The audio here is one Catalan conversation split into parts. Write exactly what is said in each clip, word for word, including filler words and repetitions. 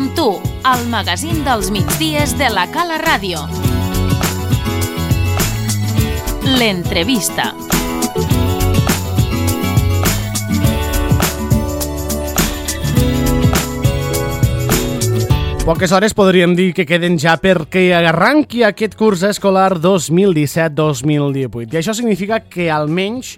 amb tu, al magazín dels migdies de la Cala Ràdio. L'entrevista. Poques hores podríem dir que queden ja perquè arranqui aquest curs escolar dos mil disset dos mil divuit. I això significa que almenys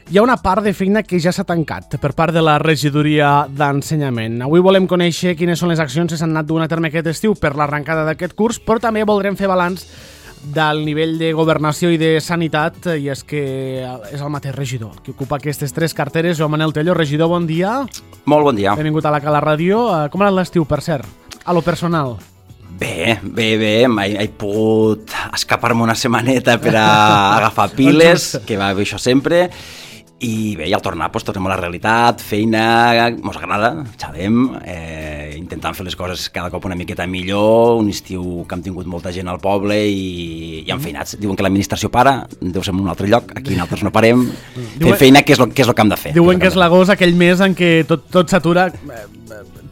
hi ha una part de feina que ja s'ha tancat per part de la regidoria d'ensenyament. Avui volem conèixer quines són les accions que s'han anat duent a terme aquest estiu per l'arrencada d'aquest curs, però també voldrem fer balanç del nivell de governació i de sanitat, i és que és el mateix regidor que ocupa aquestes tres carteres. Joan Manel Tello, regidor, bon dia. Molt bon dia. Benvingut a la Cala Ràdio. Com ha anat l'estiu, per cert? A lo personal. Bé, bé, bé, he, he pogut escapar-me una setmaneta per a agafar piles, que va bé això sempre, i bé, i al tornar pues, tornem a la realitat, feina, mos agrada, xalem, eh, intentant fer les coses cada cop una miqueta millor, un estiu que hem tingut molta gent al poble i, i enfeinats. Diuen que l'administració para, deu ser en un altre lloc, aquí nosaltres no parem, fem feina, que és el que, és el que hem de fer. Diuen que és l'agost, aquell mes en què tot, tot s'atura.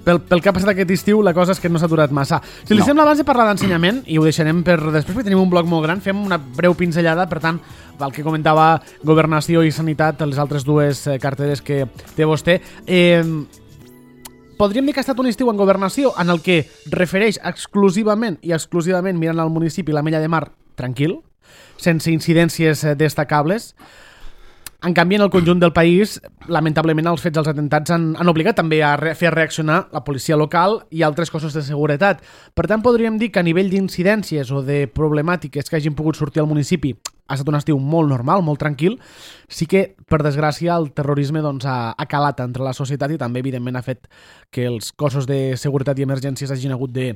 Pel, pel que ha passat aquest estiu, la cosa és que no s'ha aturat massa. Si li no. sembla, abans de parlar d'ensenyament, i ho deixarem per després, perquè tenim un bloc molt gran, fem una breu pinzellada, per tant, el que comentava Governació i Sanitat, les altres dues carteres que té vostè. Eh, podríem dir que ha estat un estiu en Governació en el que refereix exclusivament i exclusivament mirant al municipi la Mella de Mar tranquil, sense incidències destacables. En canvi, en el conjunt del país, lamentablement, els fets dels atentats han, han obligat també a re- fer reaccionar la policia local i altres cossos de seguretat. Per tant, podríem dir que a nivell d'incidències o de problemàtiques que hagin pogut sortir al municipi ha estat un estiu molt normal, molt tranquil. Sí que, per desgràcia, el terrorisme doncs, ha, ha calat entre la societat i també, evidentment, ha fet que els cossos de seguretat i emergències hagin hagut de,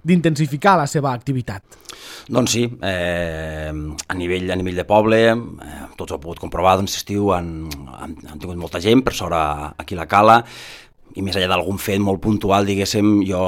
d'intensificar la seva activitat. Doncs sí, eh, a, nivell, a nivell de poble, eh, tots ho heu pogut comprovar, doncs l'estiu han, han, han tingut molta gent, per sort aquí a la Cala, i més enllà d'algun fet molt puntual, diguéssim, jo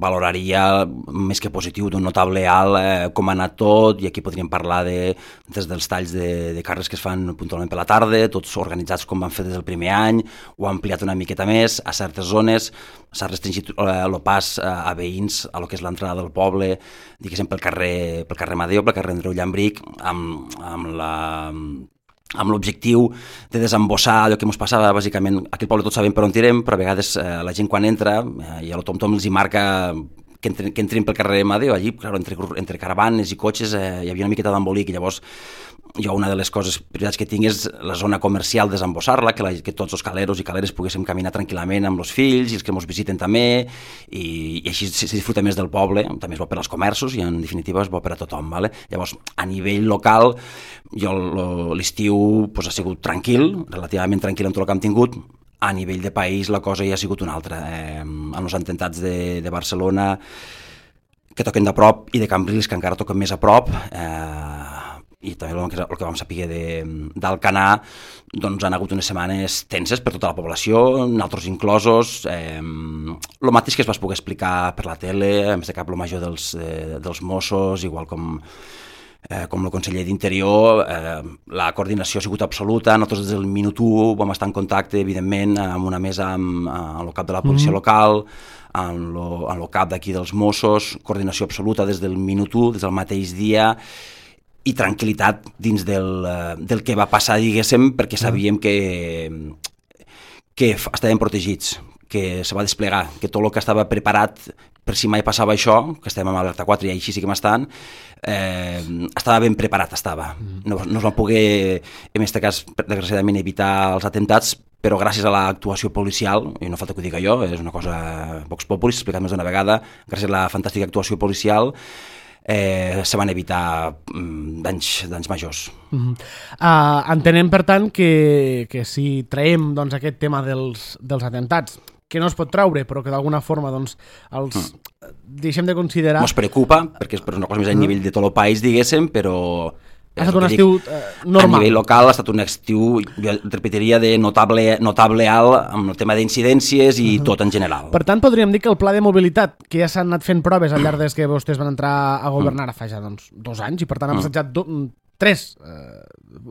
valoraria més que positiu d'un notable alt eh, com ha anat tot, i aquí podríem parlar de, des dels talls de, de carrers que es fan puntualment per la tarda, tots organitzats com van fer des del primer any, ho ha ampliat una miqueta més a certes zones, s'ha restringit el eh, pas eh, a veïns a lo que és l'entrada del poble, diguéssim, pel carrer, pel carrer Madeo, pel carrer Andreu Llambric, amb, amb la... amb l'objectiu de desembossar allò que ens passava, bàsicament, aquí al poble tots sabem per on tirem, però a vegades eh, la gent quan entra, eh, i a lo tom-tom els hi marca que, entren, que entrin pel carrer Madeo, allí, clar, entre, entre caravanes i cotxes eh, hi havia una miqueta d'embolic, i llavors jo una de les coses, prioritats que tinc és la zona comercial, desembossar-la, que, la, que tots els caleros i caleres poguéssim caminar tranquil·lament amb els fills i els que ens visiten també, i, i així se disfruta més del poble, també és bo per als comerços i en definitiva és bo per a tothom. Vale? Llavors, a nivell local, jo l'estiu pues, ha sigut tranquil, relativament tranquil amb tot el que hem tingut. A nivell de país la cosa ja ha sigut una altra. Eh, amb els atemptats de, de Barcelona, que toquen de prop, i de Cambrils, que encara toquen més a prop, eh, i també el que, el que vam saber d'Alcanar, doncs han hagut unes setmanes tenses per tota la població, nosaltres inclosos. Eh, el mateix que es va poder explicar per la tele, a més de cap el major dels, eh, dels Mossos, igual com... Eh, com el conseller d'Interior, eh, la coordinació ha sigut absoluta. Nosaltres des del minut u vam estar en contacte, evidentment, amb una mesa amb, amb el cap de la policia mm-hmm. local, amb, lo, amb el cap d'aquí dels Mossos, coordinació absoluta des del minut u, des del mateix dia, i tranquil·litat dins del, del que va passar, diguéssim, perquè sabíem que, que estàvem protegits, que se va desplegar, que tot el que estava preparat per si mai passava això, que estem amb alerta quatre i així sí que m'estan, eh, estava ben preparat, estava. No, no es van poder, en aquest cas, desgraciadament, evitar els atemptats, però gràcies a l'actuació policial, i no falta que ho diga jo, és una cosa Vox Populi, s'ha explicat més d'una vegada, gràcies a la fantàstica actuació policial, eh, se van evitar mm, danys, danys majors. Uh-huh. Uh, entenem, per tant, que, que si traiem doncs, aquest tema dels, dels atemptats, que no es pot traure, però que d'alguna forma doncs, els mm. deixem de considerar... Ens preocupa, perquè és una cosa més a nivell de tot el país, diguéssim, però... Ha estat un estiu eh, normal. A nivell local ha estat un estiu, jo repetiria, de notable, notable alt amb el tema d'incidències i uh-huh. tot en general. Per tant, podríem dir que el pla de mobilitat, que ja s'han anat fent proves al llarg des que vostès van entrar a governar uh-huh. fa ja doncs, dos anys, i per tant han passat do, tres, eh,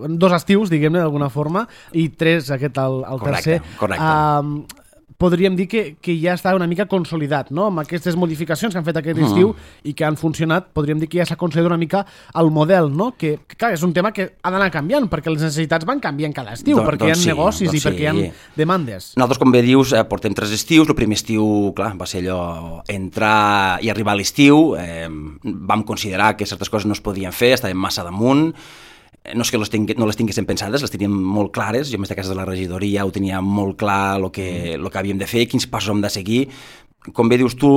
dos estius, diguem-ne, d'alguna forma, i tres, aquest, el, el correcte, tercer. Correcte, Uh, podríem dir que, que ja està una mica consolidat, no? Amb aquestes modificacions que han fet aquest estiu mm. i que han funcionat, podríem dir que ja s'ha consolidat una mica el model, no? Que, que clar, és un tema que ha d'anar canviant, perquè les necessitats van canviant cada estiu, Don, perquè doncs hi ha sí, negocis doncs i perquè sí. hi ha demandes. Nosaltres, com bé dius, eh, portem tres estius. El primer estiu, clar, va ser allò, entrar i arribar a l'estiu. Eh, vam considerar que certes coses no es podien fer, estàvem massa damunt. No és que les tingui, no les tinguéssim pensades, les teníem molt clares. Jo, més de casa de la regidoria, ho tenia molt clar el que, el que havíem de fer, quins passos hem de seguir. Com bé dius tu,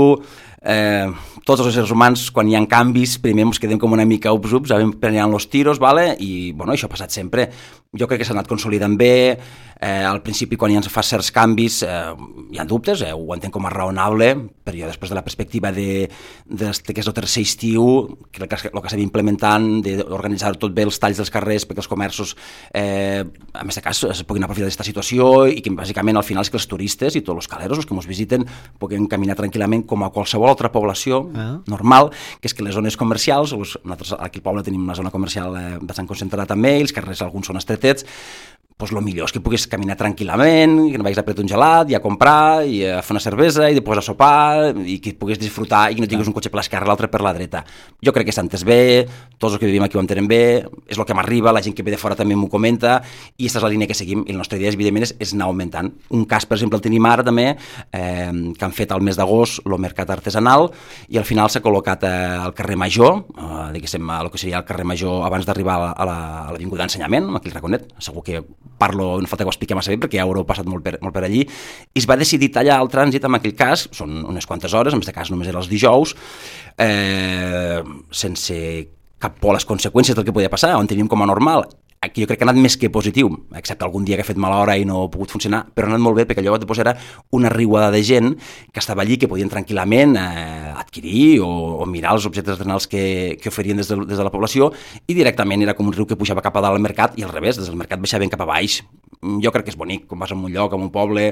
eh, tots els éssers humans, quan hi ha canvis, primer ens quedem com una mica ups-ups, sabem prenent los tiros, vale? I bueno, això ha passat sempre. Jo crec que s'ha anat consolidant bé. Eh, al principi, quan hi ha fa certs canvis, eh, hi ha dubtes, eh, ho entenc com a raonable, però jo després de la perspectiva de, de, de que és el tercer estiu, crec que el que s'havia implementant, d'organitzar tot bé els talls dels carrers perquè els comerços, eh, a més de cas, es puguin aprofitar d'aquesta situació i que bàsicament al final és que els turistes i tots els caleros, els que ens visiten, puguin caminar tranquil·lament com a qualsevol altra població ah. normal, que és que les zones comercials, nosaltres aquí al poble tenim una zona comercial eh, bastant concentrada també, els carrers alguns són estretets, doncs el millor és que puguis caminar tranquil·lament, que no vagis a prendre un gelat i a comprar, i a fer una cervesa, i després a sopar, i que puguis disfrutar i que no tinguis un cotxe per l'esquerra i l'altre per la dreta. Jo crec que s'ha entès bé, tots els que vivim aquí ho entenem bé, és el que m'arriba, la gent que ve de fora també m'ho comenta, i aquesta és la línia que seguim, i la nostra idea, evidentment, és, és anar augmentant. Un cas, per exemple, el tenim ara també, eh, que han fet al mes d'agost el mercat artesanal, i al final s'ha col·locat eh, al carrer Major, eh, diguéssim, el que seria el carrer Major abans d'arribar a l'Avinguda d'Ensenyament, aquí al Raconet, segur que parlo, no falta que ho expliqui massa bé perquè ja ho haureu passat molt per, molt per allí, i es va decidir tallar el trànsit en aquell cas, són unes quantes hores, en aquest cas només era els dijous, eh, sense cap por a les conseqüències del que podia passar, on teníem com a normal. Aquí jo crec que ha anat més que positiu, excepte algun dia que ha fet mala hora i no ha pogut funcionar, però ha anat molt bé perquè allò després era una riuada de gent que estava allí, que podien tranquil·lament eh, adquirir o, o mirar els objectes artesanals que, que oferien des de, des de la població, i directament era com un riu que pujava cap a dalt al mercat i al revés, des del mercat baixaven cap a baix. Jo crec que és bonic, quan vas a un lloc, a un poble,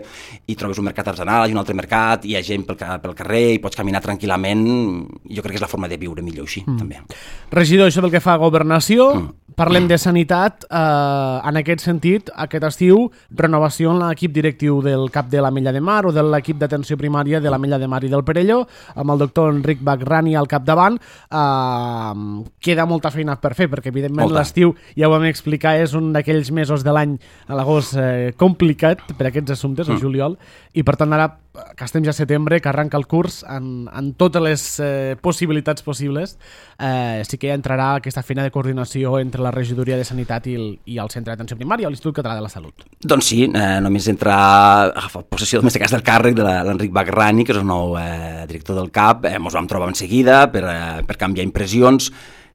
i trobes un mercat artesanal i un altre mercat, i hi ha gent pel, pel carrer i pots caminar tranquil·lament. Jo crec que és la forma de viure millor així, mm. també. Regidor, això pel que fa a governació, mm. parlem mm. de sanitat. Eh, en aquest sentit, aquest estiu, renovació en l'equip directiu del CAP de l'Ametlla de Mar o de l'equip d'atenció primària de l'Ametlla de Mar i del Perelló, amb el doctor Enric Bagrani al capdavant. Eh, queda molta feina per fer, perquè evidentment l'estiu, ja ho vam explicar, és un d'aquells mesos de l'any, a l'agost, Eh, complicat per aquests assumptes, el mm. juliol, i per tant ara que estem ja a setembre, que arranca el curs en, en totes les eh, possibilitats possibles, eh, sí que ja entrarà aquesta feina de coordinació entre la regidoria de Sanitat i el, i el Centre d'Atenció Primària o l'Institut Català de la Salut. Doncs sí, eh, només entra a agafar possessió, en aquest cas, del càrrec de l'Enric Bagrani, que és el nou eh, director del CAP. Eh, ens vam trobar en seguida per, eh, per canviar impressions.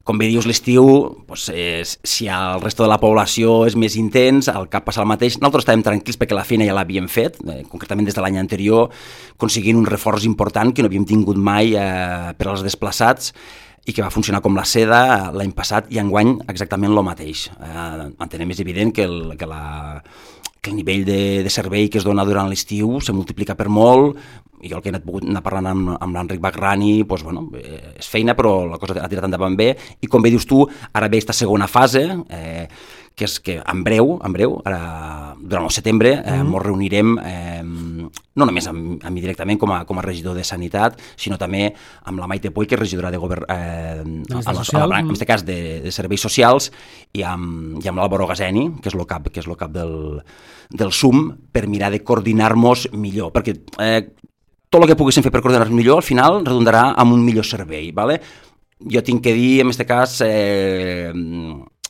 Com bé dius, l'estiu, doncs, és, si el resto de la població és més intens, el CAP passa el mateix. Nosaltres estàvem tranquils perquè la feina ja l'havíem fet, eh, concretament des de l'any anterior, aconseguint un reforç important que no havíem tingut mai eh, per als desplaçats, i que va funcionar com la seda l'any passat, i enguany exactament el mateix. Eh, entenem, és evident que el, que la... que el nivell de, de servei que es dona durant l'estiu se multiplica per molt, i jo el que he anat pogut anar parlant amb, amb l'Enric Bagrani, doncs, bueno, és feina, però la cosa ha tirat endavant bé, i com bé dius tu, ara ve aquesta segona fase, eh, que és que en breu, en breu, ara, durant el setembre, eh, mm. ens reunirem, eh, no només amb, amb mi directament com a, com a regidor de Sanitat, sinó també amb la Maite Puig, que és regidora de govern, eh, a, a, a la, en aquest cas de, de serveis socials, i amb, i amb l'Àlvaro Gazeni, que és el cap, que és el cap del, del S U M, per mirar de coordinar-nos millor, perquè eh, tot el que poguéssim fer per coordinar-nos millor, al final redundarà en un millor servei, ¿vale? Jo tinc que dir, en aquest cas, eh,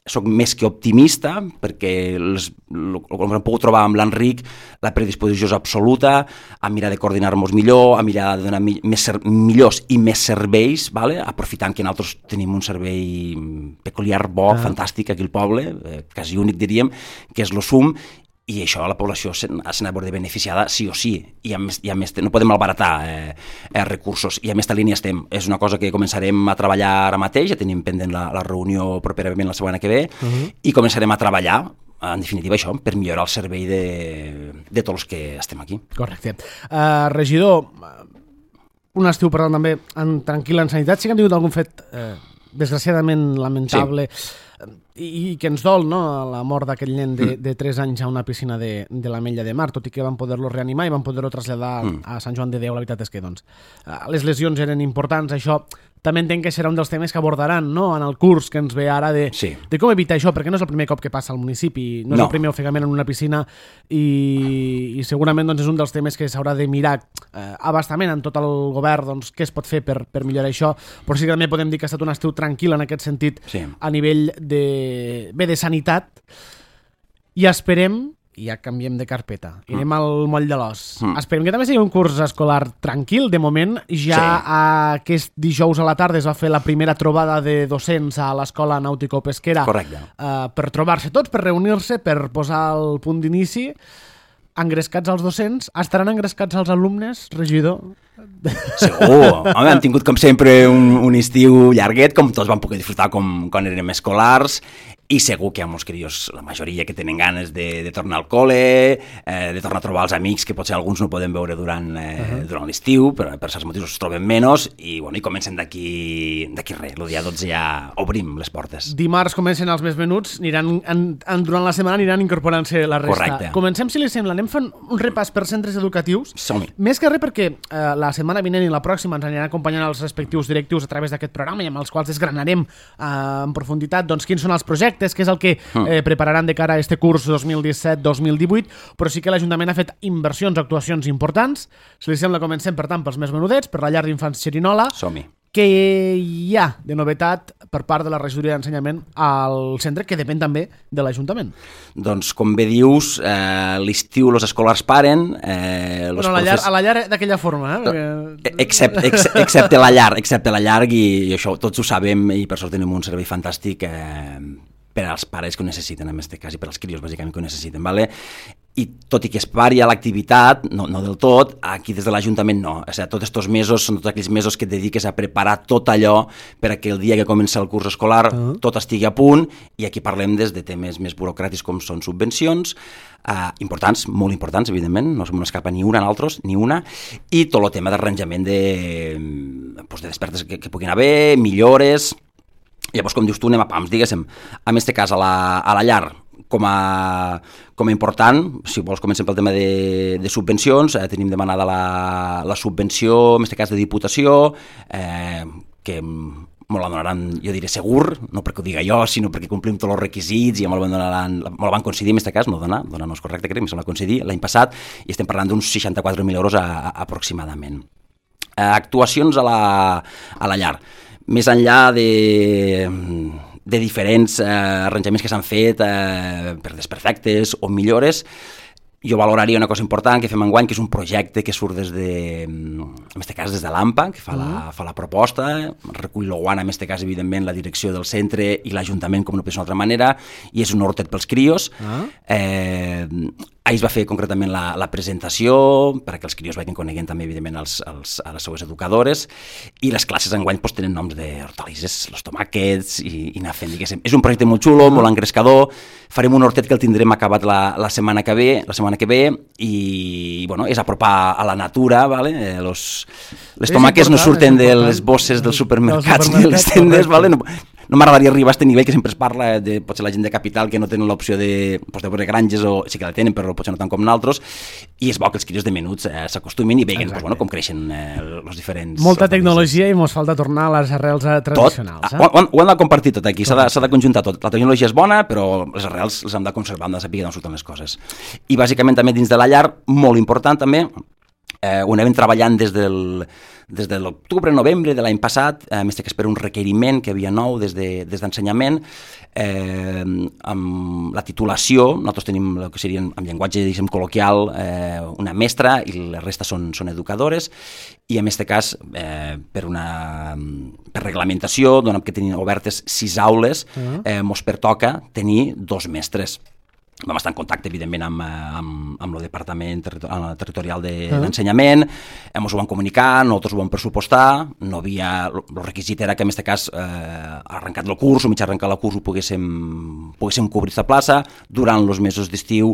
soc més que optimista, perquè els, el que hem pogut trobar amb l'Enric, la predisposició és absoluta a mirar de coordinar-nos millor, a mirar de donar més, millors i més serveis, ¿vale? Aprofitant que nosaltres tenim un servei peculiar, bo, ah. fantàstic aquí al poble, eh, quasi únic diríem, que és l'O S U M, i això la població se n'ha de beneficiada sí o sí, i a més, i a més no podem malbaratar eh, eh, recursos, i a més línia estem, és una cosa que començarem a treballar ara mateix, ja tenim pendent la, la reunió properament la setmana que ve, uh -huh. i començarem a treballar, en definitiva això, per millorar el servei de, de tots els que estem aquí. Correcte. Uh, regidor, un estiu parlant també en tranquil·la en sanitat, sí que han tingut algun fet eh, desgraciadament lamentable, sí. i, i que ens dol, no?, la mort d'aquell nen de, de tres anys a una piscina de, de l'Ametlla de Mar, tot i que van poder-lo reanimar i van poder-lo traslladar mm. a Sant Joan de Déu. La veritat és que, doncs, les lesions eren importants, això també entenc que serà un dels temes que abordaran, no?, en el curs que ens ve ara de, sí. de com evitar això, perquè no és el primer cop que passa al municipi, no és no. el primer ofegament en una piscina i, i segurament doncs, és un dels temes que s'haurà de mirar eh, abastament en tot el govern, doncs, què es pot fer per, per millorar això, però sí que també podem dir que ha estat un estiu tranquil en aquest sentit sí. a nivell de, bé, de sanitat, i esperem, i ja canviem de carpeta, mm. anem al moll de l'os. Mm. Esperem que també sigui un curs escolar tranquil. De moment, ja sí. aquest dijous a la tarda es va fer la primera trobada de docents a l'escola nàutico-pesquera uh, per trobar-se tots, per reunir-se, per posar el punt d'inici. Engrescats els docents, estaran engrescats els alumnes, regidor? Segur. Home, hem tingut, com sempre, un, un estiu llarguet, com tots vam poder disfrutar com, quan érem escolars, i segur que hi ha molts crios, la majoria, que tenen ganes de, de tornar al col·le, eh, de tornar a trobar els amics que potser alguns no podem veure durant, eh, uh-huh. durant l'estiu, però per certs motius es troben menys, i, bueno, i comencen d'aquí d'aquí res. El dia dotze ja obrim les portes. Dimarts comencen els més menuts, aniran, en, en, durant la setmana aniran incorporant-se la resta. Correcte. Comencem, si li sembla, anem fent un repàs per centres educatius. Som-hi. Més que res perquè eh, la setmana vinent i la pròxima ens aniran acompanyant els respectius directius a través d'aquest programa i amb els quals desgranarem eh, en profunditat doncs, quins són els projectes, què és el que eh, prepararan de cara a este curs dos mil disset dos mil divuit, però sí que l'Ajuntament ha fet inversions, actuacions importants. Si li sembla, comencem, per tant, pels més menudets, per la llar d'infants Xerinola. Som-hi. Què hi ha de novetat per part de la regidoria d'ensenyament al centre, que depèn també de l'Ajuntament? Doncs, com bé dius, eh, l'estiu els escolars paren. Eh, bueno, a la llar, a la llar d'aquella forma, eh? Perquè... Excepte, ex, excepte la llar, excepte la llar, i, i això tots ho sabem, i per sort tenim un servei fantàstic eh, per als pares que ho necessiten, en aquest cas, i per als crios, bàsicament, que ho necessiten, ¿vale? I tot i que es pari a l'activitat, no, no del tot, aquí des de l'Ajuntament no. O sigui, tots aquests mesos són tots aquells mesos que et dediques a preparar tot allò per a que el dia que comença el curs escolar uh-huh. tot estigui a punt, i aquí parlem des de temes més burocràtics com són subvencions, eh, importants, molt importants, evidentment, no se m'escapa ni una, altres, ni una, i tot el tema d'arranjament de, doncs, de despertes que, que puguin haver, millores. Llavors, com dius tu, anem a pams, diguéssim. En aquest cas, a la, a la llar, com a, com a important, si vols comencem pel tema de, de subvencions, eh, tenim demanada la, la subvenció, en aquest cas de Diputació, eh, que me la donaran, jo diré segur, no perquè ho diga jo, sinó perquè complim tots els requisits, i me la, donaran, me la van concedir, en aquest cas, no donar, donar no és correcte, crec, me la van concedir l'any passat, i estem parlant d'uns seixanta-quatre mil euros a, a, aproximadament. Eh, actuacions a la, a la llar. Més enllà de, de diferents eh, arranjaments que s'han fet eh, per desperfectes o millores, jo valoraria una cosa important que fem enguany, que és un projecte que surt des de, en aquest cas des de l'AMPA, que fa, la, fa la proposta, recull l'Oguana, en aquest cas, evidentment, la direcció del centre i l'Ajuntament, com no pot ser d'una altra manera, i és un hortet pels crios. Ah. Eh, ahir es va fer concretament la, la presentació perquè els crios vagin coneguent també, evidentment, els, els, a les seues educadores, i les classes enguany pues, tenen noms d'hortalisses, los tomàquets, i, i anar fent, diguéssim. És un projecte molt xulo, molt engrescador. Farem un hortet que el tindrem acabat la, la setmana que ve, la setmana que ve, i bueno, és apropar a la natura, ¿vale? Eh, los, les tomàquets no surten de les bosses dels supermercats ni de les tendes, ¿vale? No, no m'agradaria arribar a aquest nivell que sempre es parla de potser la gent de capital que no tenen l'opció de, pues, de veure granges, o sí que la tenen però potser no tant com nosaltres, i és bo que els crios de menuts eh, s'acostumin i vegin pues, bueno, com creixen eh, els diferents... Molta tecnologia i mos falta tornar a les arrels tradicionals. Tot, eh? ho, ho hem de compartir tot aquí, s'ha de, s'ha de conjuntar tot. La tecnologia és bona, però les arrels les hem de conservar, hem de saber d'on surten les coses. I bàsicament també dins de la llar, molt important també, eh, ho anem treballant des del... des de l'octubre, novembre de l'any passat, eh, més que per un requeriment que havia nou des de, des d'ensenyament, eh, amb la titulació, nosaltres tenim el que serien, en llenguatge diguem, col·loquial, eh, una mestra, i la resta són, són educadores, i en aquest cas, eh, per una per reglamentació, donat que tenim obertes sis aules, uh-huh. eh, mos pertoca tenir dos mestres. Vam estar en contacte, evidentment, amb, amb, amb el Departament Territorial de, uh-huh. d'Ensenyament, ens ho van comunicar, nosaltres ho vam pressupostar, no havia... El requisit era que, en aquest cas, eh, arrencat el curs, o mig arrencar el curs, ho poguéssim, poguéssim cobrir aquesta plaça. Durant els mesos d'estiu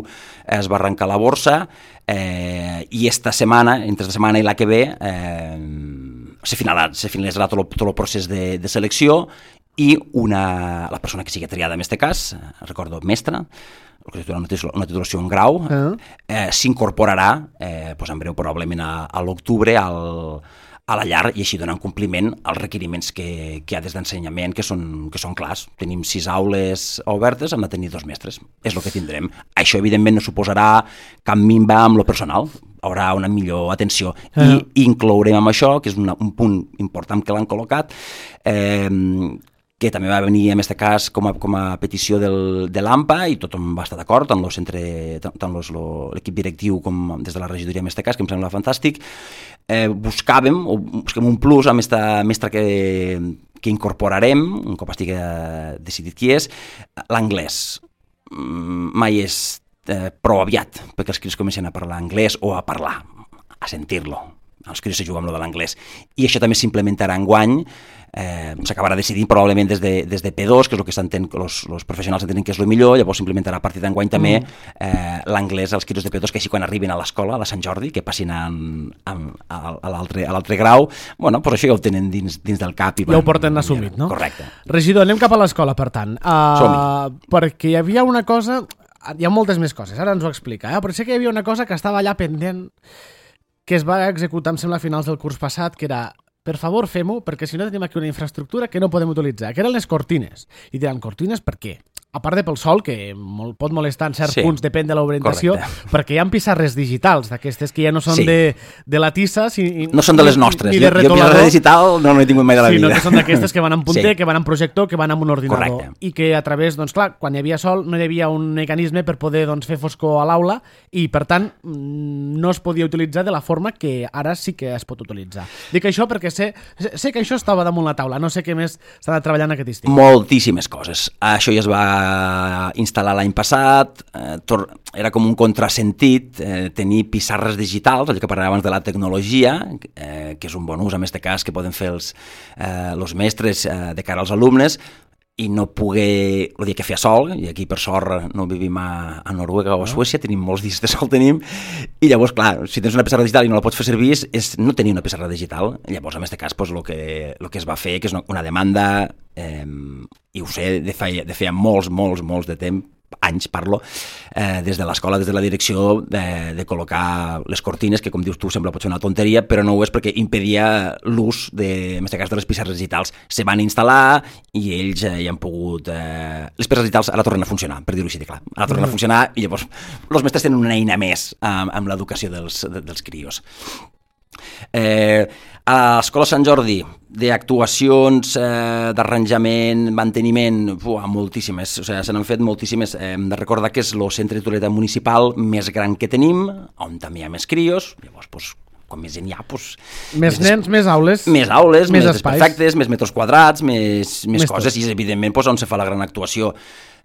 es va arrencar la borsa, eh, i esta setmana, entre esta setmana i la que ve, eh, se finalitzarà tot el, tot el procés de, de selecció, i una, la persona que sigui triada en aquest cas, recordo, mestra, el que titula una titulació en grau, uh-huh. eh, s'incorporarà eh, doncs en breu probablement a, a l'octubre al, a la llar i així donant compliment als requeriments que, que hi ha des d'ensenyament, que són, que són clars. Tenim sis aules obertes, hem de tenir dos mestres. És el que tindrem. Això, evidentment, no suposarà cap minva amb lo personal. Haurà una millor atenció. Uh-huh. I inclourem amb això, que és una, un punt important que l'han col·locat, eh, que també va venir en aquest cas com a, com a petició del, de l'A M P A i tothom va estar d'acord, tant, tant l'equip directiu com des de la regidoria en aquest cas, que em sembla fantàstic. Eh, buscàvem, o busquem un plus amb aquesta mestra que, que incorporarem, un cop estigui decidit qui és, l'anglès. Mai és eh, prou aviat perquè els crios comencen a parlar anglès o a parlar, a sentir-lo. Els crios se juguen amb lo de l'anglès. I això també s'implementarà enguany. Eh, s'acabarà decidint probablement des de, des de P dos, que és el que s'entén, els professionals entenen que és el millor, llavors s'implementarà a partir d'enguany també eh, l'anglès als crios de P dos, que així quan arribin a l'escola, a la Sant Jordi, que passin a, a, a l'altre grau, bueno, doncs això ja ho tenen dins, dins del cap. I ja ho porten assumit, no? Correcte. Regidor, anem cap a l'escola, per tant. Uh, perquè hi havia una cosa, hi ha moltes més coses, ara ens ho explica, eh? Però sé que hi havia una cosa que estava allà pendent, que es va executar, em sembla, a finals del curs passat, que era, per favor, fem-ho, perquè si no tenim aquí una infraestructura que no podem utilitzar, que eren les cortines. I diran, cortines per què? A part de pel sol, que molt, pot molestar en certs sí, punts, depèn de l'orientació, perquè hi ha pissarres digitals, d'aquestes que ja no són sí. de, de la tissa... Si, no són de les nostres. Ni de jo, jo pissarra digital no n'he tingut mai de la sí, vida. No, que són d'aquestes que van amb punter, sí. que van amb projector, que van amb un ordinador. Correcte. I que a través, doncs clar, quan hi havia sol no hi havia un mecanisme per poder doncs, fer foscor a l'aula i, per tant, no es podia utilitzar de la forma que ara sí que es pot utilitzar. Dic això perquè sé, sé que això estava damunt la taula, no sé què més s'ha de treballar en aquest estiu. Moltíssimes coses. Això ja es va instal·lar l'any passat, eh, tor- era com un contrasentit eh, tenir pissarres digitals, allò que parlàvem abans de la tecnologia, eh, que és un bon ús en aquest cas que poden fer els, eh, els mestres eh, de cara als alumnes, i no poder, el dia que feia sol, i aquí per sort no vivim a, a Noruega o a Suècia, tenim molts dies de sol, tenim, i llavors, clar, si tens una pissarra digital i no la pots fer servir, és, és no tenir una pissarra digital. Llavors, en aquest cas, pues, el, que, el que es va fer, que és una, una demanda, eh, i ho sé, de feia, de feia molts, molts, molts de temps, anys parlo, eh, des de l'escola, des de la direcció, de, de col·locar les cortines, que com dius tu sembla pot ser una tonteria, però no ho és perquè impedia l'ús, de, en aquest cas, de les pissarres digitals. Se van instal·lar i ells eh, hi han pogut... Eh, les pissarres digitals ara tornen a funcionar, per dir-ho així de clar. Ara tornen a funcionar i llavors els mestres tenen una eina més amb, amb l'educació dels, de, dels crios. Eh, a l'Escola Sant Jordi, d'actuacions, eh, d'arranjament, manteniment, uah, moltíssimes, o sigui, se n'han fet moltíssimes. Eh, hem de recordar que és el centre de titularitat municipal més gran que tenim, on també hi ha més crios, llavors, doncs, quan més gent hi ha, doncs... Més, més nens, més aules. Més aules, més, més perfectes, més metres quadrats, més, més, més coses, tot. I és evidentment doncs, on se fa la gran actuació.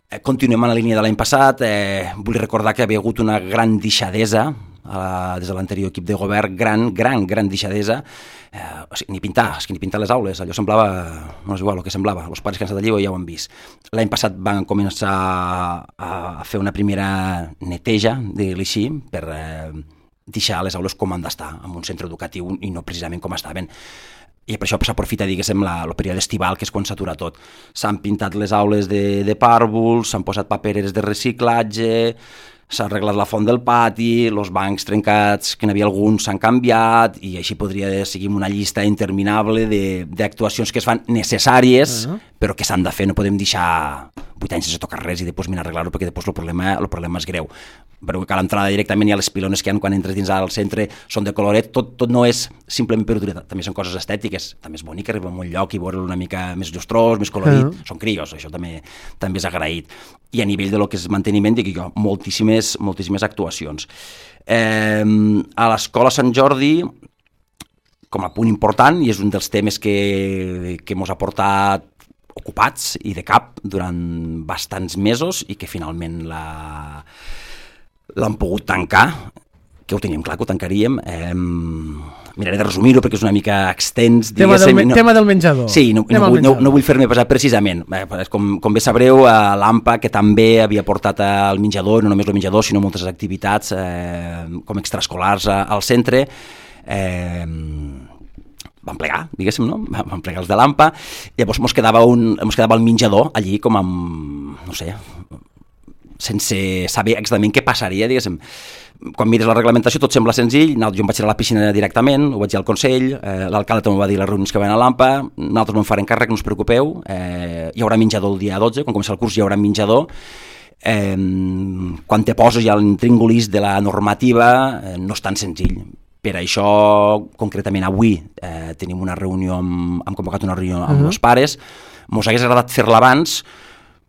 Eh, continuem en la línia de l'any passat, eh, vull recordar que havia hagut una gran deixadesa, Uh, des de l'anterior equip de govern, gran, gran, gran deixadesa, uh, o sigui, ni pintar, és que ni pintar les aules, allò semblava, no és igual el que semblava, els pares que han estat allí ja ho han vist. L'any passat van començar a, a fer una primera neteja, digue-li així, per uh, deixar les aules com han d'estar, en un centre educatiu i no precisament com estaven. I per això s'aprofita, diguéssim, la, el període estival, que és quan s'atura tot. S'han pintat les aules de, de pàrvuls, s'han posat papereres de reciclatge, s'ha arreglat la font del pati, els bancs trencats, que n'hi havia alguns, s'han canviat, i així podria seguir una llista interminable d'actuacions que es fan necessàries, uh-huh. però que s'han de fer, no podem deixar vuit anys sense tocar res i després mirar arreglar-ho, perquè després el problema, el problema és greu. Però que a l'entrada directament hi ha les pilones que hi ha quan entres dins al centre, són de coloret, tot, tot no és simplement per utilitat, també són coses estètiques, també és bonic arribar a un lloc i veure-lo una mica més llustrós, més colorit, uh-huh. són crios, això també, també és agraït. I a nivell de lo que és manteniment, dic jo, moltíssimes, moltíssimes actuacions. Eh, a l'Escola Sant Jordi, com a punt important, i és un dels temes que, que mos ha portat ocupats i de cap durant bastants mesos i que finalment la... l'han pogut tancar, que ho teníem clar que ho tancaríem. Eh, miraré de resumir-ho perquè és una mica extens. Tema del, no, tema del menjador. Sí, no, no, vull, no, no vull fer-me pesar precisament. Eh, com, com bé sabreu, a l'A M P A, que també havia portat el menjador, no només el menjador, sinó moltes activitats eh, com extraescolars al centre, eh, van plegar, diguéssim, no? Van plegar els de l'A M P A, i llavors mos quedava, un, mos quedava el menjador allí com amb, no sé, sense saber exactament què passaria, diguéssim. Quan mires la reglamentació tot sembla senzill, jo em vaig anar a la piscina directament, ho vaig dir al Consell, eh, l'alcalde també va dir les reunions que van a l'A M P A, nosaltres no en farem càrrec, no us preocupeu, eh, hi haurà menjador el dia dotze, quan comença el curs hi haurà menjador, eh, quan te poses ja l'intríngulis de la normativa eh, no és tan senzill. Per això, concretament avui, eh, tenim una reunió, amb, hem convocat una reunió amb uh-huh. els pares, mos hagués agradat fer-la abans,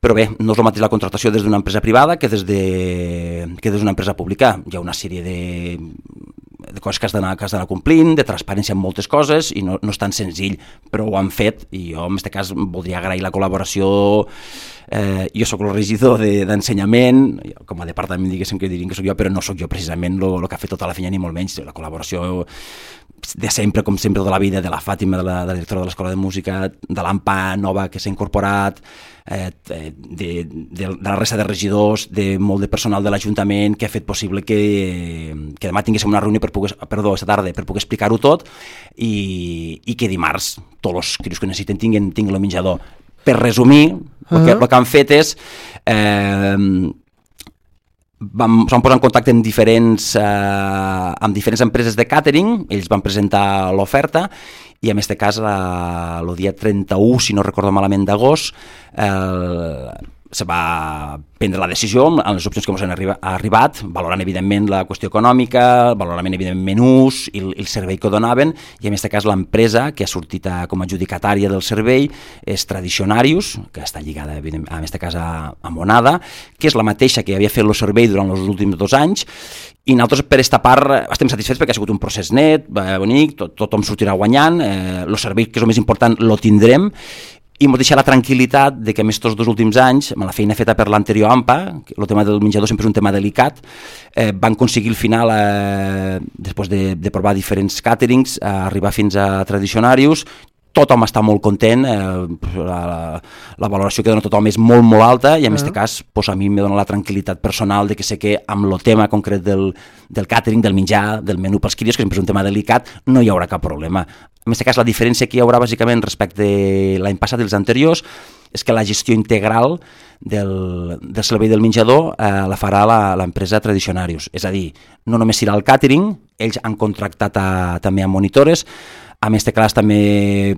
però bé, no és el mateix la contractació des d'una empresa privada que des de, que des d'una empresa pública. Hi ha una sèrie de, de coses que has d'anar que has d'anar complint, de transparència en moltes coses, i no, no és tan senzill, però ho han fet, i jo en aquest cas voldria agrair la col·laboració. Eh, jo sóc el regidor de, d'ensenyament, com a departament diguéssim que dirien que sóc jo, però no sóc jo precisament el que ha fet tota la feina, ni molt menys. La col·laboració de sempre, com sempre, tota la vida, de la Fàtima, de la, de la directora de l'Escola de Música, de l'A M P A nova que s'ha incorporat, eh, de, de, de la resta de regidors, de molt de personal de l'Ajuntament que ha fet possible que, que demà tinguéssim una reunió per poder, perdó, aquesta tarda, per poder explicar-ho tot, i, i que dimarts tots els crios que necessiten tinguin, tinguin el menjador. Per resumir, el que, el que han fet és eh, vam, vam posar en contacte amb diferents, eh, amb diferents empreses de càtering, ells van presentar l'oferta, i en aquest cas el dia trenta-u, si no recordo malament, d'agost, eh, se va prendre la decisió amb les opcions que ens han arriba, arribat, valorant evidentment la qüestió econòmica, valorant evidentment menús i el, el servei que donaven, i en aquest cas l'empresa que ha sortit a, com a adjudicatària del servei és Tradicionarius, que està lligada en aquest cas a, a Monada, que és la mateixa que havia fet el servei durant els últims dos anys, i nosaltres per aquesta part estem satisfets perquè ha sigut un procés net, bonic, tot, tothom sortirà guanyant, eh, el servei que és el més important lo tindrem, i ens deixa la tranquil·litat de que, a més, tots dos últims anys, amb la feina feta per l'anterior A M P A, el tema del menjador sempre és un tema delicat, eh, van aconseguir al final, eh, després de, de provar diferents càterings, eh, arribar fins a Tradicionarius. Tothom està molt content, eh, la, la, la valoració que dona tothom és molt, molt alta, i en aquest uh-huh. cas pues, a mi em dona la tranquil·litat personal de que sé que amb el tema concret del, del càtering, del menjar, del menú pels crios, que sempre és un tema delicat, no hi haurà cap problema. En aquest cas, la diferència que hi haurà bàsicament respecte a l'any passat i els anteriors és que la gestió integral del, del servei del menjador eh, la farà la, l'empresa Tradicionarius. És a dir, no només serà el càtering, ells han contractat a, també a monitores. En aquest cas també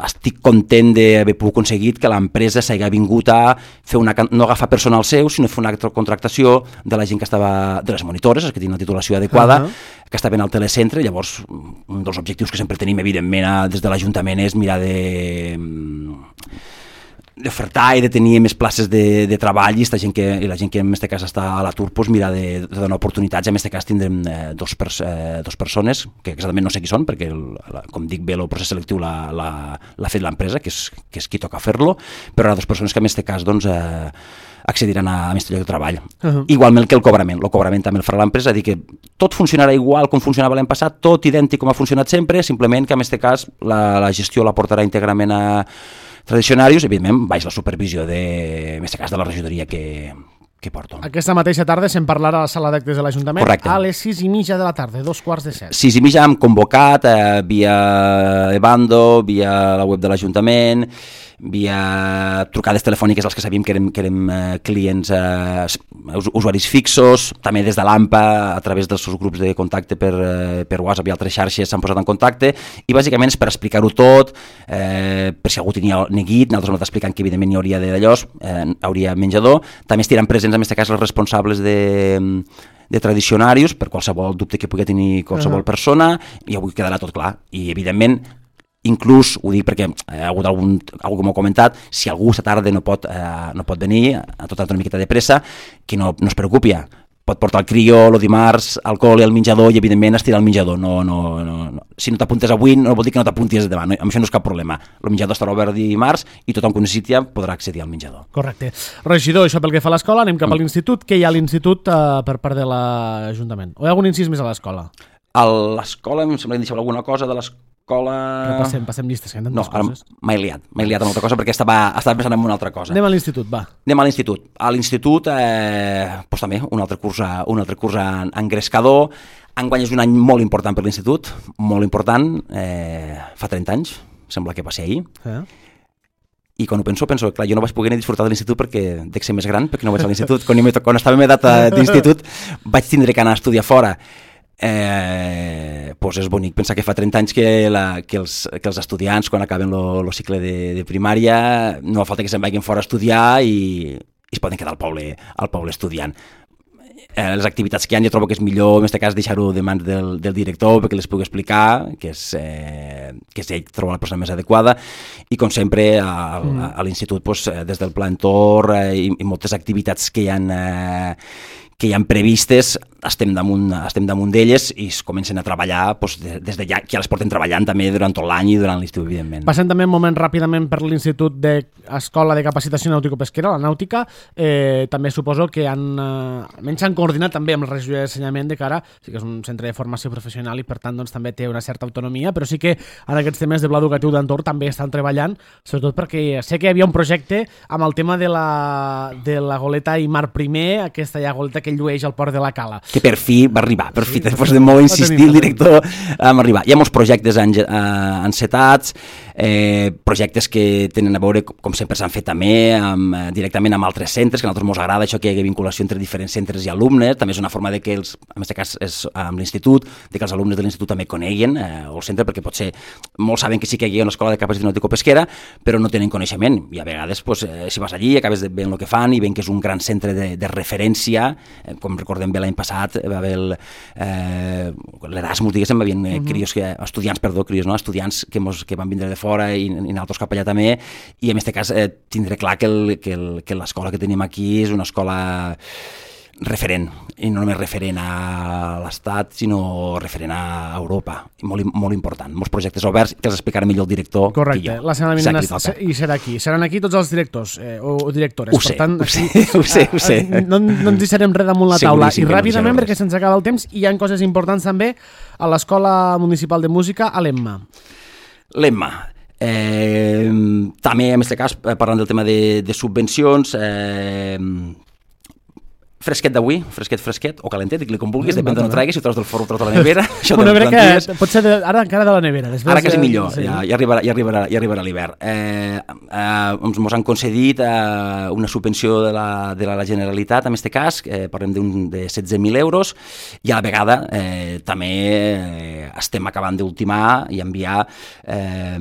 estic content d'haver pogut aconseguit que l'empresa s'hagi vingut a fer una, no agafar personal seu, sinó fer una contractació de la gent que estava, de les monitores, que tenen una titulació adequada, uh-huh. que estaven al telecentre. Llavors, un dels objectius que sempre tenim, evidentment, des de l'Ajuntament és mirar de d'ofertar i de tenir més places de, de treball, i, esta gent que, i la gent que en aquest cas està a l'atur, pues, mirar de, de donar oportunitats. En aquest cas tindrem eh, dos, pers, eh, dos persones, que exactament no sé qui són, perquè, el, la, com dic bé, el procés selectiu l'ha, l'ha, l'ha fet l'empresa, que és, que és qui toca fer-lo, però hi ha dues persones que en aquest cas doncs, eh, accediran a, a aquest lloc de treball. Uh-huh. Igualment que el cobrament. El cobrament també el farà l'empresa, dir que tot funcionarà igual com funcionava l'any passat, tot idèntic com ha funcionat sempre, simplement que en aquest cas la, la gestió la portarà íntegrament a Tradicionarius, evidentment, baix la supervisió de, en aquest cas, de la regidoria que, que porto. Aquesta mateixa tarda se'n parlarà a la sala d'actes de l'Ajuntament. Correcte. A les sis i mitja de la tarda, dos quarts de set. Sis i mitja hem convocat eh, via Evando, via la web de l'Ajuntament, via trucades telefòniques als que sabíem que érem, que érem eh, clients, eh, usuaris fixos, també des de l'A M P A, a través dels seus grups de contacte per, eh, per WhatsApp i altres xarxes s'han posat en contacte, i bàsicament és per explicar-ho tot, eh, per si algú tenia neguit, nosaltres hem anat explicant que evidentment hi hauria de d'allò, eh, hauria menjador, també estiran presents en aquest cas els responsables de de Tradicionarius, per qualsevol dubte que pugui tenir qualsevol uh-huh. persona, i avui quedarà tot clar. I evidentment, inclús, ho dic perquè hi ha hagut algun, algú que m'ho ha comentat, si algú aquesta tarda no pot, eh, no pot venir, a tota una miqueta de pressa, que no, no es preocupi, pot portar el crió el dimarts, alcohol i el menjador, i evidentment estirar el menjador. No, no, no, no. Si no t'apuntes avui, no vol dir que no t'apuntis demà, no, amb això no és cap problema. El menjador estarà obert dimarts i tothom que ho necessiti podrà accedir al menjador. Correcte. Regidor, això pel que fa a l'escola, anem cap a l'institut. Què hi ha a l'institut eh, per part de l'Ajuntament? O hi ha algun incís més a l'escola? A l'escola, em sembla que em deixava alguna cosa de les... escola... Repassem, passem llistes, que hi ha tantes no, coses. No, m'he liat, m'he liat amb una altra cosa perquè estava, estava pensant en una altra cosa. Anem a l'institut, va. Anem a l'institut. A l'institut, eh, doncs també, un altre curs, un altre curs en, en Grescador. Enguany és un any molt important per l'institut, molt important, eh, fa trenta anys, sembla que va ser ahir. Eh? I quan ho penso, penso, clar, jo no vaig poder ni disfrutar de l'institut perquè dec ser més gran, perquè no vaig a l'institut. Quan, quan estava en edat d'institut vaig tindre que anar a estudiar fora. Eh, doncs és bonic pensar que fa trenta anys que, la, que, els, que els estudiants, quan acaben el cicle de, de primària, no fa falta que se'n vagin fora a estudiar i, i es poden quedar al poble, al poble estudiant. Eh, les activitats que hi ha, jo trobo que és millor en aquest cas deixar-ho de mans del, del director perquè les pugui explicar, que és, eh, que és ell trobar la persona més adequada, i com sempre a, a, a l'institut doncs, des del Pla Entorn eh, i, i moltes activitats que hi ha eh, que hi ha previstes, estem damunt, estem damunt d'elles i es comencen a treballar doncs, des de ja, que ja les porten treballant també durant tot l'any i durant l'estiu, evidentment. Passem també un moment ràpidament per l'Institut d'Escola de Capacitació Nàutico-Pesquera, la Nàutica. Eh, també suposo que han, eh, almenys s'han coordinat també amb la regió d'ensenyament de cara, sí que és un centre de formació professional i per tant doncs, també té una certa autonomia, però sí que en aquests temes de pla educatiu d'entorn també estan treballant, sobretot perquè sé que hi havia un projecte amb el tema de la, de la goleta i mar primer, aquesta ja goleta que llueix al port de la Cala. Que per fi va arribar, per fi, després de molt insistir el director, vam arribar. Hi ha molts projectes encetats, eh, projectes que tenen a veure, com sempre s'han fet també, amb, directament amb altres centres, que a nosaltres ens agrada això que hi hagi vinculació entre diferents centres i alumnes, també és una forma de que els, en aquest cas és amb l'institut, de que els alumnes de l'institut també coneguen eh, el centre, perquè potser molts saben que sí que hi ha una escola de capacitació nàutico-pesquera, però no tenen coneixement, i a vegades pues, eh, si vas allí acabes veient el que fan i veient que és un gran centre de, de referència, eh, com recordem bé l'any passat, va haver eh, l'Erasmus, diguéssim, va haver eh, crios, que, estudiants, perdó, crios, no? estudiants que, mos, que van vindre de fora i, i nosaltres cap allà també, i en aquest cas eh, tindré clar que, el, que, el, que l'escola que tenim aquí és una escola referent, i no només referent a l'Estat, sinó referent a Europa, molt, molt important, molts projectes oberts que els explicarà millor el director. Correcte, que jo. La setmana vinent i serà aquí, seran aquí tots els directors eh, o, o directores. Ho sé, per tant, ho sé, ho sé, ho sé. No, no ens deixarem res damunt la taula. I ràpidament, no perquè se'ns acaba el temps, hi ha coses importants també a l'Escola Municipal de Música, a l'Emma. L'Emma. Eh, també, en aquest cas, parlant del tema de, de subvencions, eh, fresquet d'avui, fresquet, fresquet, o calentet, digue-li com vulguis, depèn d'on ho traguis, si ho treus del forn o treus de la nevera. Això una nevera que pot ser de, ara encara de la nevera. Ara quasi millor, sí. ja, ja arribarà, ja arribarà, ja arribarà l'hivern. Eh, eh, ens han concedit eh, una subvenció de la, de la Generalitat, en aquest cas, eh, parlem d'un de setze mil euros, i a la vegada eh, també eh, estem acabant d'ultimar i enviar eh,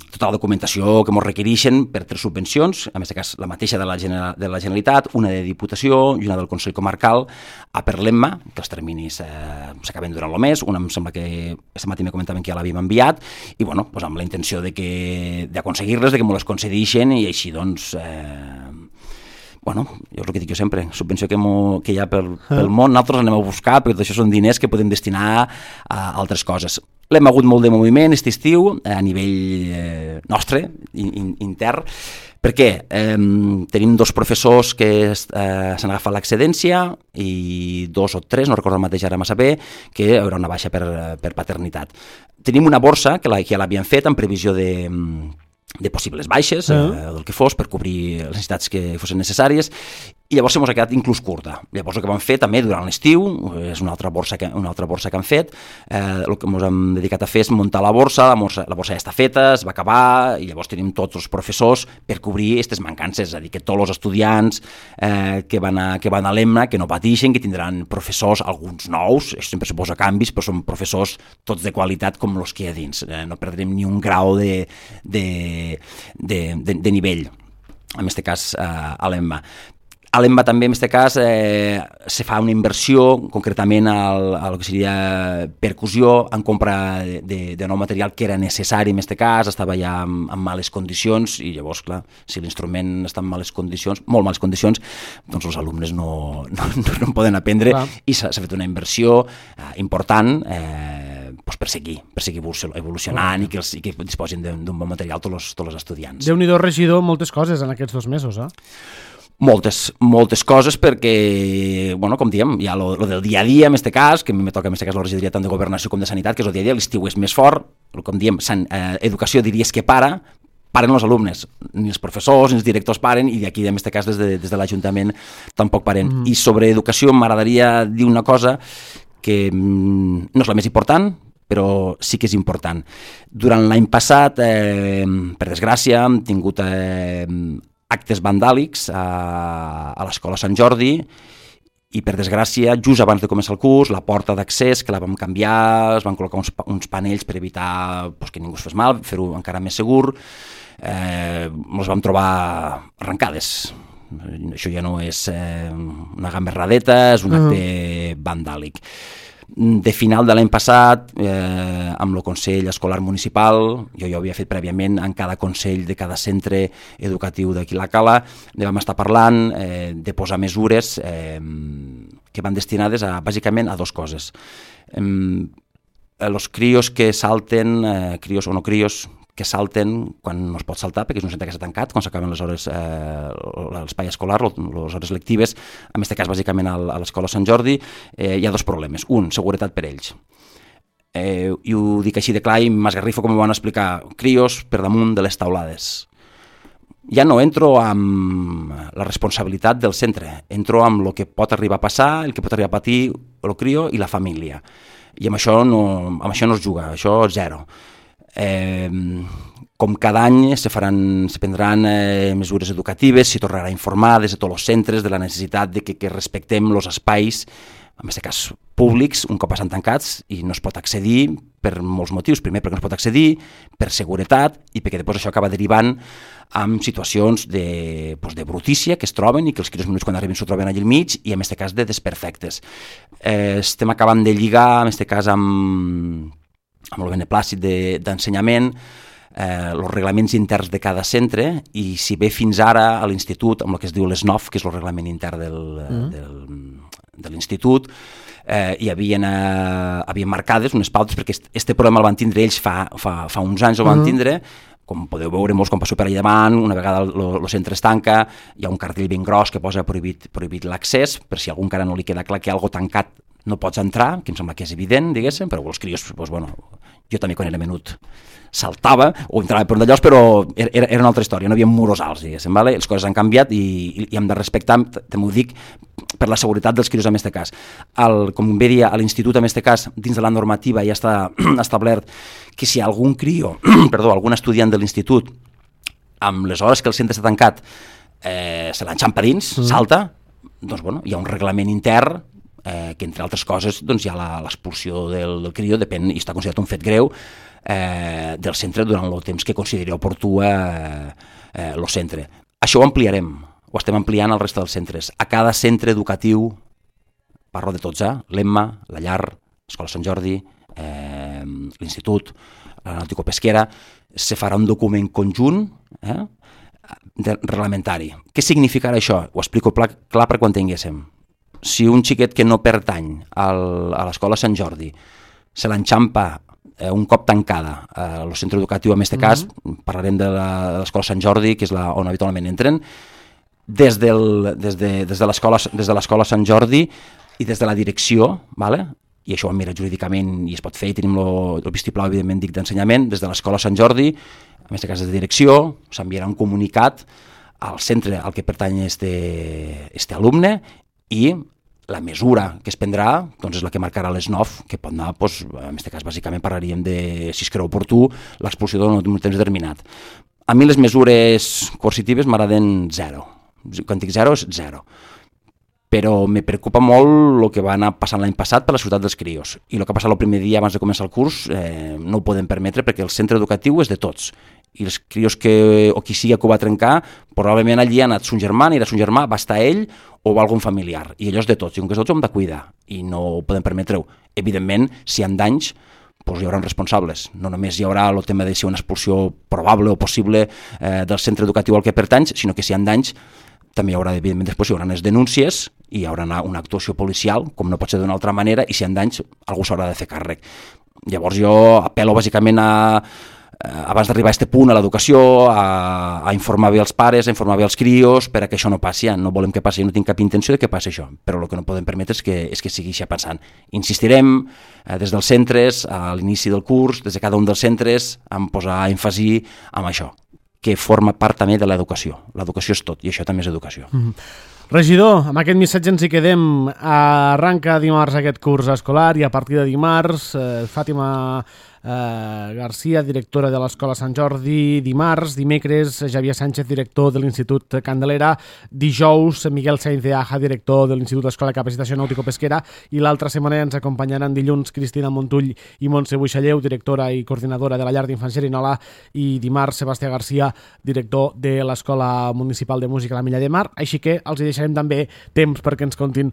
tota la documentació que ens requereixen per tres subvencions, en aquest cas la mateixa de la, General, de la Generalitat, una de Diputació i una del Consell Comarcal, a per l'Emma, que els terminis eh, s'acaben durant el mes, una em sembla que aquest matí me comentaven que ja l'havíem enviat, i bueno, doncs amb la intenció de que d'aconseguir-les, de que m'ho les concedeixen, i així doncs eh, bueno, jo és el que dic jo sempre, subvenció que, mo, que hi ha pel, pel món, nosaltres anem a buscar, perquè tot això són diners que podem destinar a altres coses. L'hem hagut molt de moviment aquest estiu, a nivell eh, nostre, in, intern, perquè eh, tenim dos professors que eh, s'han agafat l'excedència i dos o tres, no recordo el mateix ara massa bé, que hi haurà una baixa per, per paternitat. Tenim una borsa que, la, que ja l'havien fet en previsió de... de possibles baixes, uh -huh. eh, del que fos, per cobrir les necessitats que fossin necessàries, i llavors ens ha quedat inclús curta. Llavors el que vam fer també durant l'estiu, és una altra borsa que, una altra borsa que han fet, eh, el que ens hem dedicat a fer és muntar la borsa, la borsa, la borsa ja està feta, es va acabar, i llavors tenim tots els professors per cobrir aquestes mancances, és a dir, que tots els estudiants eh, que van a, que van a l'Emma, que no pateixen, que tindran professors, alguns nous, això sempre suposa canvis, però són professors tots de qualitat com els que hi ha dins, eh, no perdrem ni un grau de, de, de, de, de nivell, en aquest cas eh, a l'Emma. A l'Emma també, en aquest cas, eh, se fa una inversió, concretament al, al que seria percussió, en compra de, de nou material que era necessari, en aquest cas, estava ja en, en males condicions, i llavors, clar, si l'instrument està en males condicions, molt males condicions, doncs els alumnes no, no, no en poden aprendre, clar. I s'ha fet una inversió eh, important, eh, doncs per seguir, per seguir evolucionant, i que, els, i que disposin d'un bon material tots els, tots els estudiants. Déu-n'hi-do, regidor, moltes coses en aquests dos mesos, eh? Moltes, moltes coses perquè, bueno, com diem, hi ha lo, lo del dia a dia, en aquest cas, que a mi me toca en aquest cas la regidoria tant de Governació com de Sanitat, que és el dia a dia, l'estiu és més fort, com diem, san, eh, educació diries que para, paren els alumnes, ni els professors ni els directors paren, i d'aquí, en aquest cas, des de, des de l'Ajuntament tampoc paren. Mm. I sobre educació m'agradaria dir una cosa que mm, no és la més important, però sí que és important. Durant l'any passat, eh, per desgràcia, hem tingut eh, actes vandàlics a, a l'Escola Sant Jordi i, per desgràcia, just abans de començar el curs, la porta d'accés, que la vam canviar, es van col·locar uns, uns panells per evitar pues, que ningú es fes mal, fer-ho encara més segur, eh, ens vam trobar arrencades. Això ja no és eh, una gamberradeta, és un acte uh-huh. vandàlic. De final de l'any passat, eh, amb el Consell Escolar Municipal, jo ja ho havia fet prèviament en cada consell de cada centre educatiu d'aquí la Cala, ne vam estar parlant eh, de posar mesures eh, que van destinades a, bàsicament a dues coses. Eh, els crios que salten, eh, crios o no crios, que salten quan no es pot saltar, perquè és un centre que s'ha tancat, quan s'acaben les hores, eh, l'espai escolar, les hores lectives, en aquest cas bàsicament a l'Escola Sant Jordi, eh, hi ha dos problemes. Un, seguretat per ells. Eh, I ho dic així de clar i m'esgarrifo com ho van explicar, crios per damunt de les taulades. Ja no entro amb la responsabilitat del centre, entro amb el que pot arribar a passar, el que pot arribar a patir el crio i la família. I amb això no, amb això no es juga, això és zero. Eh, com cada any se faran, se prendran eh, mesures educatives, s'hi tornarà a informar des de tots els centres de la necessitat de que, que respectem els espais, en aquest cas públics, un cop estan tancats i no es pot accedir per molts motius. Primer perquè no es pot accedir, per seguretat i perquè després això acaba derivant en situacions de, doncs de brutícia que es troben i que els crios menuts quan arriben s'ho troben allà al mig i en aquest cas de desperfectes. Eh, estem acabant de lligar, en aquest cas amb amb el beneplàcit d'ensenyament, eh, els reglaments interns de cada centre, i si bé fins ara a l'institut, amb el que es diu l'S N O F, que és el reglament intern del, mm. del, de l'institut, eh, hi havien, eh, havien marcades unes pautes, perquè este problema el van tindre ells fa, fa, fa uns anys, el van tindre, com podeu veure molts quan passeu per allà davant, una vegada el centre es tanca, hi ha un cartell ben gros que posa prohibit, prohibit l'accés, per si a algú encara no li queda clar que algo tancat no pots entrar, que em sembla que és evident, diguéssim, però els crios, doncs, bueno, jo també quan era menut saltava o entrava per un d'allòs, però era, era una altra història, no hi havia muros alts, diguéssim, vale? Les coses han canviat i, i, i hem de respectar, també ho dic, per la seguretat dels crios en aquest cas. El, com bé dia, a l'institut en aquest cas, dins de la normativa ja està establert que si algun crio, perdó, algun estudiant de l'institut, amb les hores que el centre està tancat, eh, se l'enxampa dins, mm. salta, doncs bueno, hi ha un reglament intern Eh, que entre altres coses doncs, hi ha l'expulsió del, del crio, depèn, i està considerat un fet greu eh, del centre durant el temps que consideri oportú el eh, eh, centre. Això ho ampliarem, ho estem ampliant al resta dels centres. A cada centre educatiu, parlo de tots, eh? l'Emma, la Llar, l'Escola Sant Jordi, eh, l'Institut, la Nàutico-Pesquera, se farà un document conjunt eh, de, reglamentari. Què significarà això? Ho explico clar, clar per quan tinguéssim. Si un xiquet que no pertany al, a l'Escola Sant Jordi se l'enxampa eh, un cop tancada a eh, el centre educatiu, en aquest mm-hmm. cas, parlarem de l'Escola Sant Jordi, que és la, on habitualment entren, des, del, des de, des de l'Escola Sant Jordi i des de la direcció, vale? I això ho mira jurídicament i es pot fer, i tenim el vistiplau, evidentment, dic d'ensenyament, des de l'Escola Sant Jordi, en aquest cas de direcció, s'enviarà un comunicat al centre al que pertany este, este alumne, i la mesura que es prendrà doncs és la que marcarà l'S N O F, que pot anar, doncs, en aquest cas, bàsicament parlaríem de, si es creu oportú, l'expulsió d'un temps determinat. A mi les mesures coercitives m'agraden zero. Quan dic zero és zero. Però me preocupa molt el que va anar passant l'any passat per la ciutat dels crios. I el que ha passat el primer dia abans de començar el curs eh, no ho podem permetre perquè el centre educatiu és de tots. I els crios que, o qui sigui que ho va trencar, probablement allí ha anat son germà, anirà son germà, va estar ell o va algun familiar. I allò és de tots, i com que és de tots ho hem de cuidar i no ho podem permetre-ho. Evidentment, si hi ha danys, doncs hi haurà responsables. No només hi haurà el tema de si una expulsió probable o possible eh, del centre educatiu al que pertany, sinó que si hi ha danys, també hi haurà, evidentment, després hi haurà les denúncies i hi haurà una actuació policial, com no pot ser d'una altra manera, i si hi ha danys, algú s'haurà de fer càrrec. Llavors jo apel·lo bàsicament a abans d'arribar a aquest punt a l'educació, a, a informar bé els pares, a informar bé els crios, per a que això no passi. Ja. No volem que passi, no tinc cap intenció de que passi això, però el que no podem permetre és que, és que sigui això passant. Insistirem eh, des dels centres, a l'inici del curs, des de cada un dels centres, en posar èmfasi en això, que forma part també de l'educació. L'educació és tot, i això també és educació. Mm-hmm. Regidor, amb aquest missatge ens hi quedem. Arranca dimarts aquest curs escolar i a partir de dimarts, eh, Fàtima eh, Garcia, directora de l'Escola Sant Jordi, dimarts, dimecres, Javier Sánchez, director de l'Institut Candelera, dijous, Miguel Sainz de Aja, director de l'Institut d'Escola de Capacitació Nàutico-Pesquera, i l'altra setmana ens acompanyaran dilluns Cristina Montull i Montse Buixalleu, directora i coordinadora de la llar d'infants Xerinola, i dimarts Sebastià Garcia, director de l'Escola Municipal de Música La Milla de Mar, així que els hi deixarem també temps perquè ens contin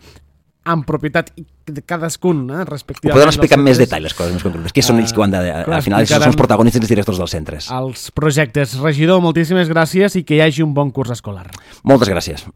amb propietat de cadascun, eh, respectivament. Ho poden explicar amb més detall, les coses més concretes, que són ells que ho han de... Al final, són els protagonistes i els directors dels centres. Els projectes. Regidor, moltíssimes gràcies i que hi hagi un bon curs escolar. Moltes gràcies.